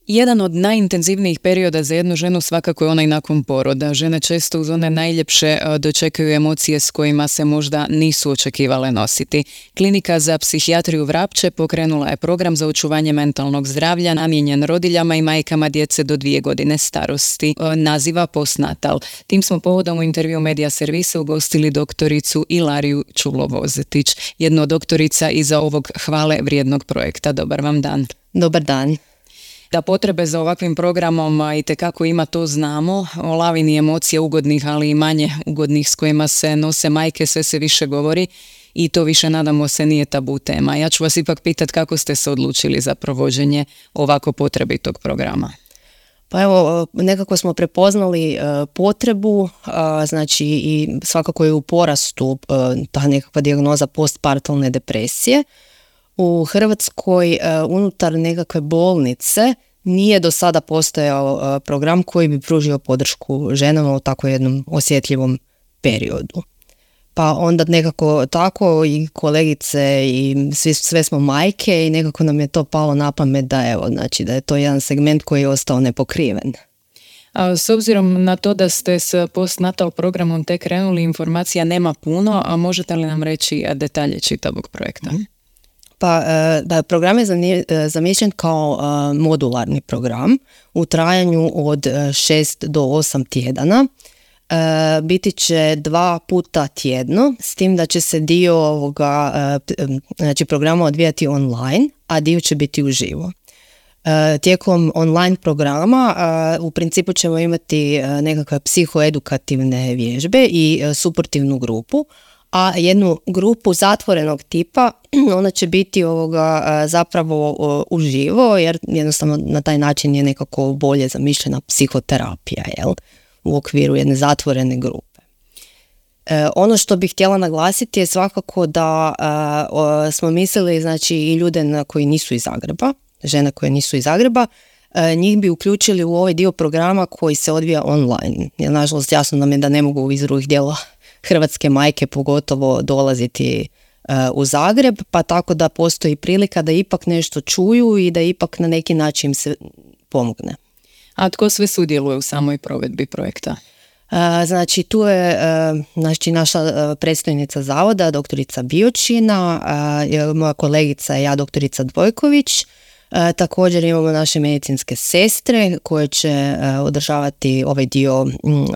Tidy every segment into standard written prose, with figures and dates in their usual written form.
Jedan od najintenzivnijih perioda za jednu ženu svakako je onaj nakon poroda. Žene često uz one najljepše dočekaju emocije s kojima se možda nisu očekivale nositi. Klinika za psihijatriju Vrapče pokrenula je program za očuvanje mentalnog zdravlja namijenjen rodiljama i majkama djece do 2 godine starosti. Naziva Postnatal. Tim smo povodom u intervju Medija Servisa ugostili doktoricu Ilariju Čulo-Vozetić, jednu od doktorica iza ovog hvale vrijednog projekta. Dobar vam dan. Dobar dan. Da potrebe za ovakvim programom itekako ima, to znamo. O lavini emocija ugodnih, ali i manje ugodnih s kojima se nose majke sve se više govori i to više, nadamo se, nije tabu tema. Ja ću vas ipak pitati kako ste se odlučili za provođenje ovako potrebitog programa. Pa evo, nekako smo prepoznali potrebu, znači i svakako je u porastu ta nekakva dijagnoza postpartalne depresije. U Hrvatskoj unutar nekakve bolnice nije do sada postojao program koji bi pružio podršku ženama u tako jednom osjetljivom periodu. Pa onda nekako tako i kolegice i sve smo majke i nekako nam je to palo na pamet da da je to jedan segment koji je ostao nepokriven. S obzirom na to da ste s postnatal programom tek krenuli, informacija nema puno, a možete li nam reći detalje čitavog projekta? Pa da, program je zamišljen kao modularni program u trajanju od 6 do 8 tjedana. Biti će 2 puta tjedno, s tim da će se dio ovoga programa odvijati online, a dio će biti uživo. Tijekom online programa u principu ćemo imati nekakve psihoedukativne vježbe i suportivnu grupu, a jednu grupu zatvorenog tipa, ona će biti zapravo uživo, jer jednostavno na taj način je nekako bolje zamišljena psihoterapija, u okviru jedne zatvorene grupe. Ono što bih htjela naglasiti je svakako da smo mislili, znači, i ljude koji nisu iz Zagreba, žene koje nisu iz Zagreba, njih bi uključili u ovaj dio programa koji se odvija online. Jer nažalost jasno nam je da ne mogu iz drugih dijela hrvatske majke pogotovo dolaziti u Zagreb, pa tako da postoji prilika da ipak nešto čuju i da ipak na neki način im se pomogne. A tko sve sudjeluje u samoj provedbi projekta? Znači tu je naša predstojnica zavoda, doktorica Biočina, moja kolegica i ja, doktorica Dvojković. Također imamo naše medicinske sestre koje će održavati ovaj dio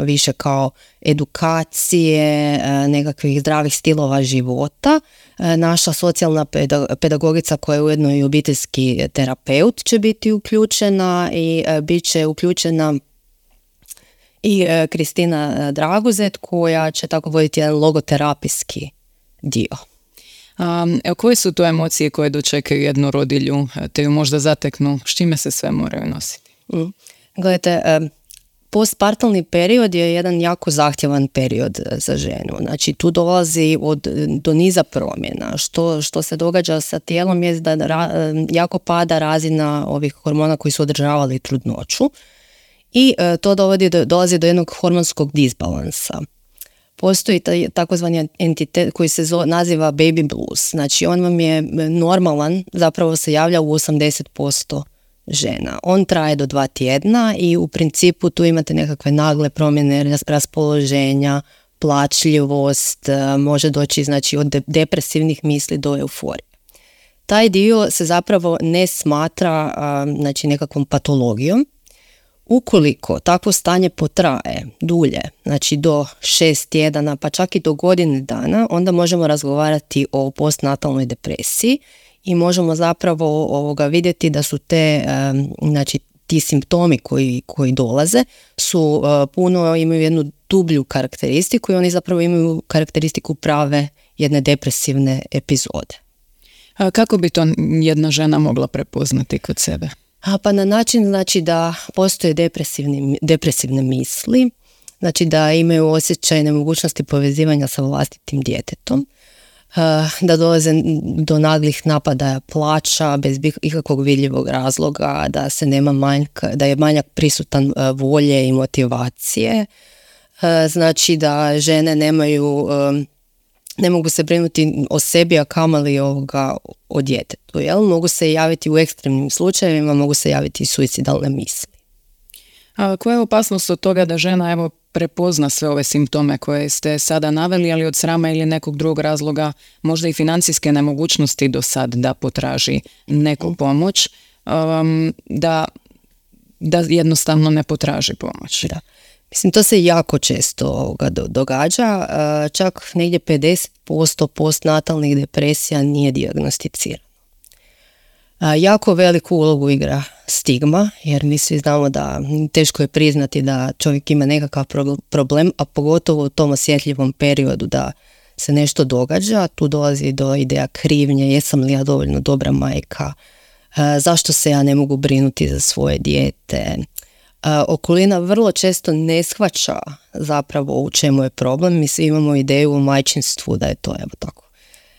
više kao edukacije, nekakvih zdravih stilova života. Naša socijalna pedagogica koja je ujedno i obiteljski terapeut će biti uključena i bit će uključena i Kristina Draguzet koja će tako voditi jedan logoterapijski dio. Koje su to emocije koje dočekaju jednu rodilju, te ju možda zateknu? S čime se sve moraju nositi? Gledajte, postpartalni period je jedan jako zahtjevan period za ženu. Znači tu dolazi do niza promjena. Što se događa sa tijelom je da jako pada razina ovih hormona koji su održavali trudnoću i to dolazi do jednog hormonskog disbalansa. Postoji takozvani entitet koji se naziva baby blues. Znači on vam je normalan, zapravo se javlja u 80% žena. On traje do 2 tjedna i u principu tu imate nekakve nagle promjene raspoloženja, plačljivost, može doći znači od depresivnih misli do euforije. Taj dio se zapravo ne smatra znači nekakvom patologijom. Ukoliko takvo stanje potraje dulje, znači do 6 tjedana, pa čak i do godine dana, onda možemo razgovarati o postnatalnoj depresiji i možemo zapravo vidjeti da su znači ti simptomi koji dolaze su imaju jednu dublju karakteristiku i oni zapravo imaju karakteristiku prave jedne depresivne epizode. A kako bi to jedna žena mogla prepoznati kod sebe? Pa na način znači da postoje depresivne misli, znači da imaju osjećaj nemogućnosti povezivanja sa vlastitim djetetom, da dolaze do naglih napadaja plača bez ikakvog vidljivog razloga, da se nema manjka, da je manjak prisutan volje i motivacije, znači da žene nemaju ne mogu se brinuti o sebi, a kamoli o djetetu. Jel? Mogu se javiti u ekstremnim slučajevima, mogu se javiti i suicidalne misli. A koja je opasnost od toga da žena prepozna sve ove simptome koje ste sada naveli, ali od srama ili nekog drugog razloga, možda i financijske nemogućnosti do sad da potraži neku pomoć, da jednostavno ne potraži pomoć? Da. Mislim, to se jako često događa. Čak negdje 50% postnatalnih depresija nije dijagnosticirano. Jako veliku ulogu igra stigma, jer mi svi znamo da teško je priznati da čovjek ima nekakav problem, a pogotovo u tom osjetljivom periodu da se nešto događa. Tu dolazi do ideja krivnje, jesam li ja dovoljno dobra majka, zašto se ja ne mogu brinuti za svoje dijete. Okolina vrlo često ne shvaća zapravo u čemu je problem. Mi svi imamo ideju o majčinstvu da je to tako.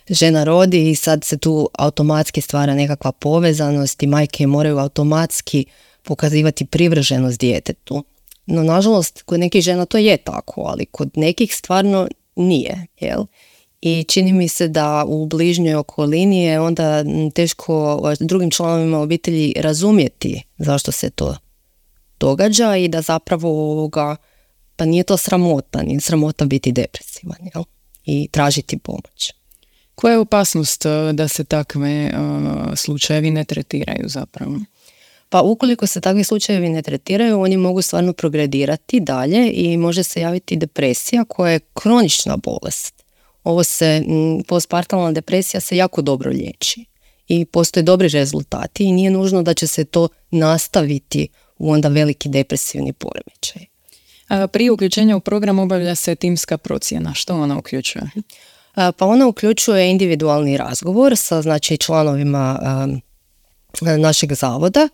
Žena rodi i sad se tu automatski stvara nekakva povezanost i majke moraju automatski pokazivati privrženost djetetu. No, nažalost, kod nekih žena to je tako, ali kod nekih stvarno nije, jel? I čini mi se da u bližnjoj okolini je onda teško drugim članovima obitelji razumjeti zašto se to događa i da zapravo pa nije to sramota, nije sramota biti depresivan, jel? I tražiti pomoć. Koja je opasnost da se takve slučajevi ne tretiraju zapravo? Pa ukoliko se takvi slučajevi ne tretiraju, oni mogu stvarno progredirati dalje i može se javiti depresija koja je kronična bolest. Postpartalna depresija se jako dobro liječi i postoje dobri rezultati i nije nužno da će se to nastaviti u onda veliki depresivni poremećaj. Prije uključenja u program obavlja se timska procjena. Što ona uključuje? Pa ona uključuje individualni razgovor sa članovima našeg zavoda,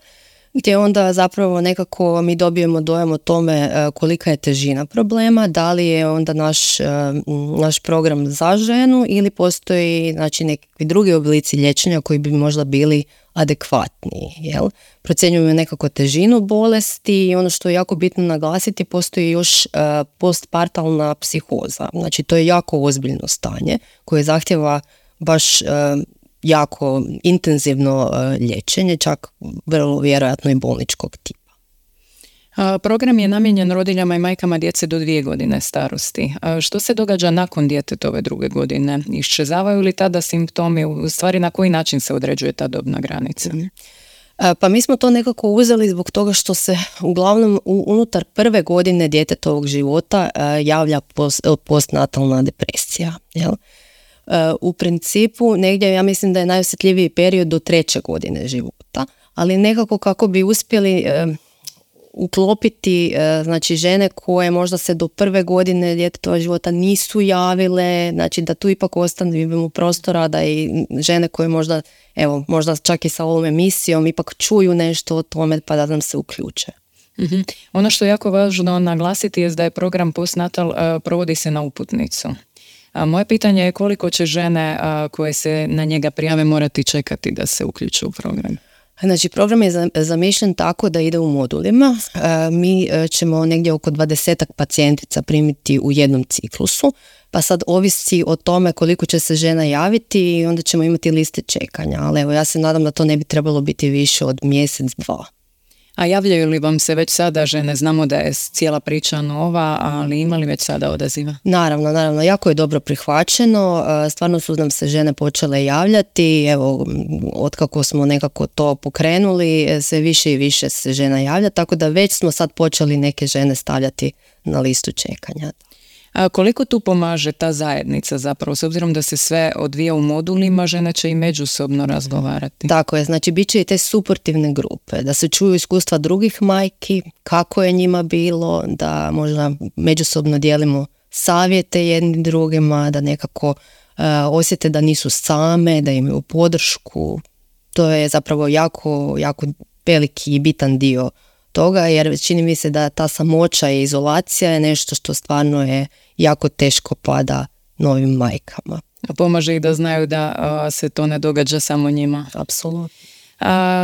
gdje onda zapravo nekako mi dobijemo dojam o tome kolika je težina problema, da li je onda naš program za ženu ili postoji nekakvi drugi oblici liječenja koji bi možda bili adekvatniji. Jel? Procjenjujemo nekako težinu bolesti i ono što je jako bitno naglasiti, postoji još postpartalna psihoza. Znači to je jako ozbiljno stanje koje zahtjeva baš jako intenzivno liječenje, čak vrlo vjerojatno i bolničkog tipa. Program je namijenjen rodiljama i majkama djece do 2 godine starosti. Što se događa nakon djetetove 2. godine? Iščezavaju li tada simptomi? U stvari, na koji način se određuje ta dobna granica? Pa mi smo to nekako uzeli zbog toga što se uglavnom unutar 1. godine djetetovog života javlja postnatalna depresija. Jel? U principu negdje ja mislim da je najosjetljiviji period do 3. godine života, ali nekako kako bi uspjeli uklopiti žene koje možda se do 1. godine djetetova života nisu javile, znači da tu ipak ostavimo prostora da i žene koje možda čak i sa ovom emisijom ipak čuju nešto o tome pa da nam se uključe. Mm-hmm. Ono što je jako važno naglasiti je da je program postnatal provodi se na uputnicu. Moje pitanje je koliko će žene koje se na njega prijave morati čekati da se uključe u program? Znači, program je zamišljen tako da ide u modulima. Mi ćemo negdje oko 20 pacijentica primiti u jednom ciklusu, pa sad ovisi o tome koliko će se žena javiti i onda ćemo imati liste čekanja. Ali ja se nadam da to ne bi trebalo biti više od mjesec, 2. A javljaju li vam se već sada žene? Znamo da je cijela priča nova, ali ima li već sada odaziva? Naravno, jako je dobro prihvaćeno, stvarno su nam se žene počele javljati, otkako smo nekako to pokrenuli, sve više i više se žena javlja, tako da već smo sad počeli neke žene stavljati na listu čekanja. A koliko tu pomaže ta zajednica zapravo, s obzirom da se sve odvija u modulima, žene će i međusobno razgovarati? Tako je, znači bit će i te suportivne grupe, da se čuju iskustva drugih majki, kako je njima bilo, da možda međusobno dijelimo savjete jednim drugima, da nekako osjete da nisu same, da imaju podršku. To je zapravo jako, jako veliki i bitan dio toga, jer čini mi se da ta samoća i izolacija je nešto što stvarno je jako teško pada novim majkama. A pomaže i da znaju da se to ne događa samo njima. Apsolutno.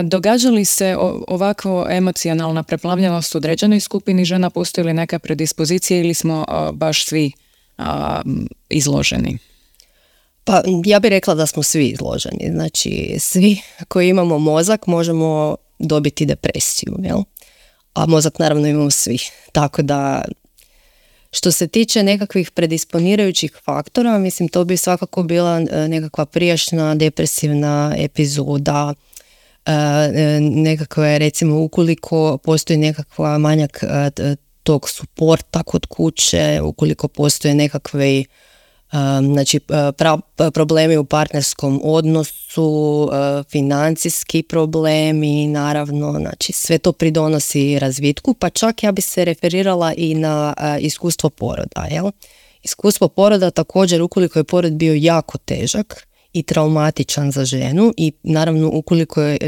Događa li se ovako emocionalna preplavljenost u određenoj skupini žena, postoji li neka predispozicija ili smo baš svi izloženi? Pa ja bih rekla da smo svi izloženi. Znači, svi koji imamo mozak možemo dobiti depresiju, jel? A mozak naravno imamo svi. Tako da, što se tiče nekakvih predisponirajućih faktora, mislim to bi svakako bila nekakva prijašnja depresivna epizoda, nekakve, recimo ukoliko postoji nekakva manjak tog suporta kod kuće, ukoliko postoje nekakve znači problemi u partnerskom odnosu, financijski problemi, naravno, znači sve to pridonosi razvitku, pa čak ja bi se referirala i na iskustvo poroda, jel? Iskustvo poroda također, ukoliko je porod bio jako težak i traumatičan za ženu i naravno ukoliko je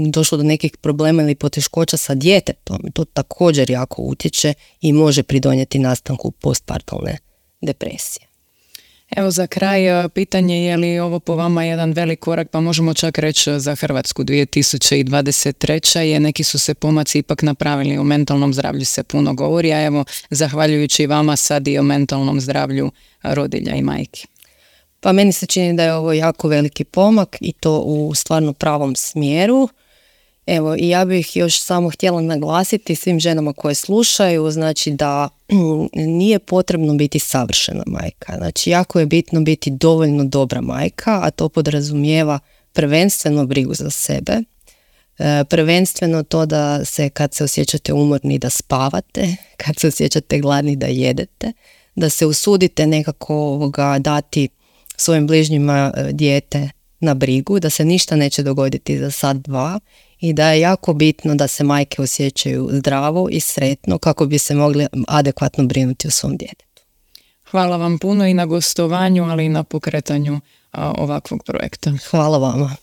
došlo do nekih problema ili poteškoća sa djetetom, to također jako utječe i može pridonijeti nastanku postpartalne depresije. Evo za kraj pitanje, je li ovo po vama jedan velik korak, pa možemo čak reći za Hrvatsku 2023. je neki su se pomaci ipak napravili, o mentalnom zdravlju se puno govori, a evo zahvaljujući vama sad i o mentalnom zdravlju rodilja i majki. Pa meni se čini da je ovo jako veliki pomak i to u stvarno pravom smjeru. Evo, i ja bih još samo htjela naglasiti svim ženama koje slušaju, znači da nije potrebno biti savršena majka. Znači, jako je bitno biti dovoljno dobra majka, a to podrazumijeva prvenstveno brigu za sebe, prvenstveno to da se kad se osjećate umorni da spavate, kad se osjećate gladni da jedete, da se usudite nekako dati svojim bližnjima dijete na brigu, da se ništa neće dogoditi za sat, dva i da je jako bitno da se majke osjećaju zdravo i sretno kako bi se mogli adekvatno brinuti o svom djetetu. Hvala vam puno i na gostovanju, ali i na pokretanju ovakvog projekta. Hvala vama.